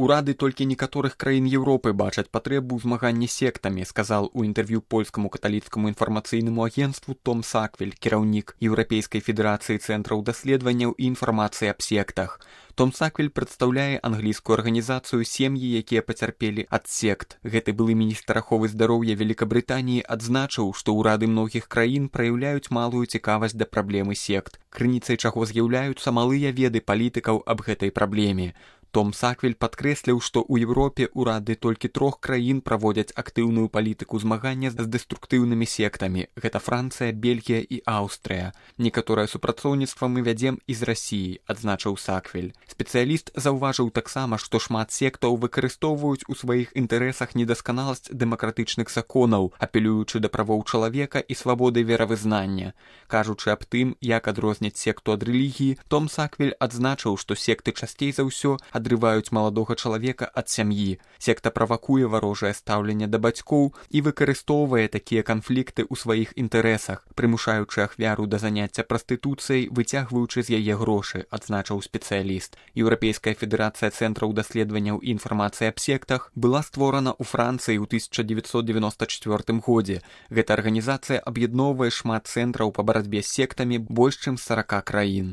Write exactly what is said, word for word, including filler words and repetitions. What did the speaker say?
Урады толькі некаторых краін Еўропы бачаць патрэбу ў змаганні сектамі, сказал у інтэрв'ю польскаму каталіцкаму інфармацыйнаму агенству Том Саквель, кіраўнік Еўрапейскай федэрацыі цэнтраў даследаванняў і інфармацыі аб сектах. Том Саквель прадстаўляе англійскую арганізацыю «Сем'і, якія пацярпелі ад сект». Гэты былы міністр аховы здароўя Великабрытаніі адзначыў, што ўрады многіх краін праяўляюць малую цікавасць да праблемы сект, крыніцай чаго з'яўляюцца малыя веды палітыкаў аб гэтай праблеме. Том Саквель падкрэсліў, што ў Еўропе ўрады толькі трох краін праводзяць актыўную палітыку змагання з дэструктыўнымі сектамі. Гэта Францыя, Бельгія і Аўстрыя. Некаторае супрацоўніцтва мы вядзем і з Расіі, адзначыў Саквель. Спецыяліст заўважыў таксама, што шмат сектаў выкарыстоўваюць у сваіх інтарэсах недасканаласць дэмакратычных законаў, апелюючы да правоў чалавека і свабоды веравызнання. Кажучы аб тым, як адрозніць секту ад рэлігіі, Том Саквель адзначыў, што секты часцей за ўсё адрываюць маладога чалавека ад сям'і. Секта правакуе варожае стаўленне да бацькоў і выкарыстоўвае такія канфлікты ў сваіх інтарэсах, прымушаючы ахвяру да заняцця прастытуцыяй, выцягваючы з яе грошы, адзначыў спецыяліст. Еўрапейская федэрацыя цэнтраў даследаванняў і інфармацыі аб сектах была створана ў Францыі ў тысяча дзевяцьсот девяносто чвёртым годзе. Гэта арганізацыя аб'ядноўвае шмат цэнтраў па барацьбе з сектамі больш чым з сарака краін.